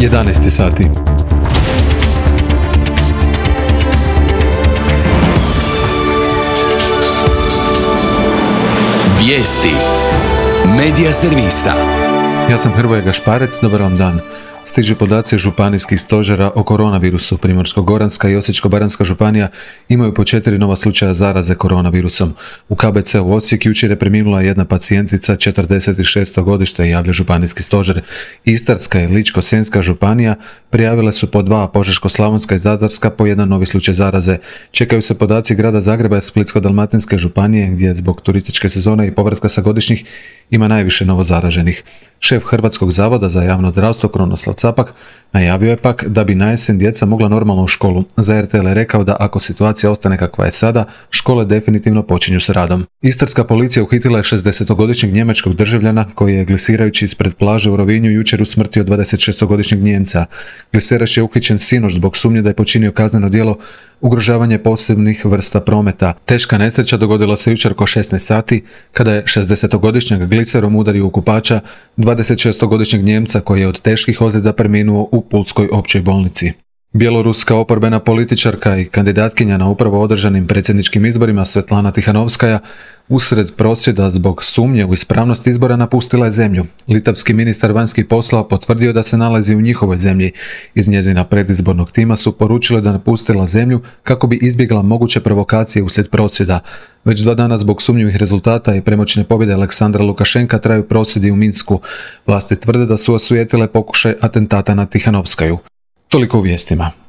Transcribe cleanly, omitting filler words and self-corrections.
11 sati. Vijesti Medija servisa. Ja sam Hrvoje Gašparec, dobar vam dan. Stižu podaci županijskih stožera o koronavirusu. Primorsko-goranska i Osječko-baranjska županija imaju po 4 nova slučaja zaraze koronavirusom. U KBC u Osijek jučer je preminula jedna pacijentica 46. godište, javlja županijski stožer. Istarska i Ličko-senjska županija prijavile su po 2, Požeško-slavonska i Zadarska po 1 novi slučaj zaraze. Čekaju se podaci grada Zagreba i Splitsko-dalmatinske županije, gdje zbog turističke sezone i povratka sa godišnjih ima najviše novozaraženih. Šef Hrvatskog zavoda za javno zdravstvo Krunoslav Capak najavio je pak da bi na jesen djeca mogla normalno u školu. Za RTL je rekao da ako situacija ostane kakva je sada, škole definitivno počinju s radom. Istarska policija uhitila je 60-godišnjeg njemačkog državljana koji je glisirajući ispred plaže u Rovinju jučer usmrtio 26-godišnjeg Nijemca. Gliseraš je uhićen sinoć zbog sumnje da je počinio kazneno djelo ugrožavanje posebnih vrsta prometa. Teška nesreća dogodila se jučer oko 16 sati kada je 60-godišnjeg gliserom udario u kupača 26-godišnjeg Nijemca koji je od teških ozljeda preminuo u Pulskoj općoj bolnici. Bjeloruska oporbena političarka i kandidatkinja na upravo održanim predsjedničkim izborima Svetlana Tihanovskaja usred prosvjeda zbog sumnje u ispravnost izbora napustila je zemlju. Litavski ministar vanjskih poslova potvrdio da se nalazi u njihovoj zemlji. Iz njezina predizbornog tima su poručili da napustila zemlju kako bi izbjegla moguće provokacije uslijed prosvjeda. Već 2 dana zbog sumnjivih rezultata i premoćne pobjede Aleksandra Lukašenka traju prosvjedi u Minsku. Vlasti tvrde da su osujetile pokušaj atentata na Tihanovskaju. Toliko u vijestima.